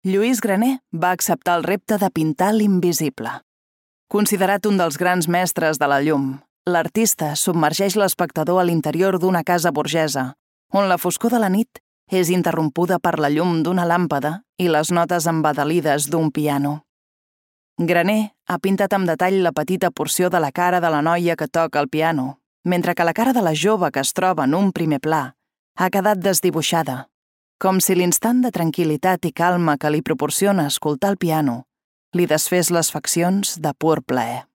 Lluís Graner va acceptar el repte de pintar l'invisible. Considerat un dels grans mestres de la llum, l'artista submergeix l'espectador a l'interior d'una casa burgesa, on la foscor de la nit és interrompuda per la llum d'una làmpada i les notes embadalides d'un piano. Graner ha pintat amb detall la petita porció de la cara de la noia que toca el piano, mentre que la cara de la jove que es troba en un primer pla ha quedat desdibuixada, com si l'instant de tranquil·litat i calma que li proporciona escoltar el piano li desfés les faccions de pur plaer.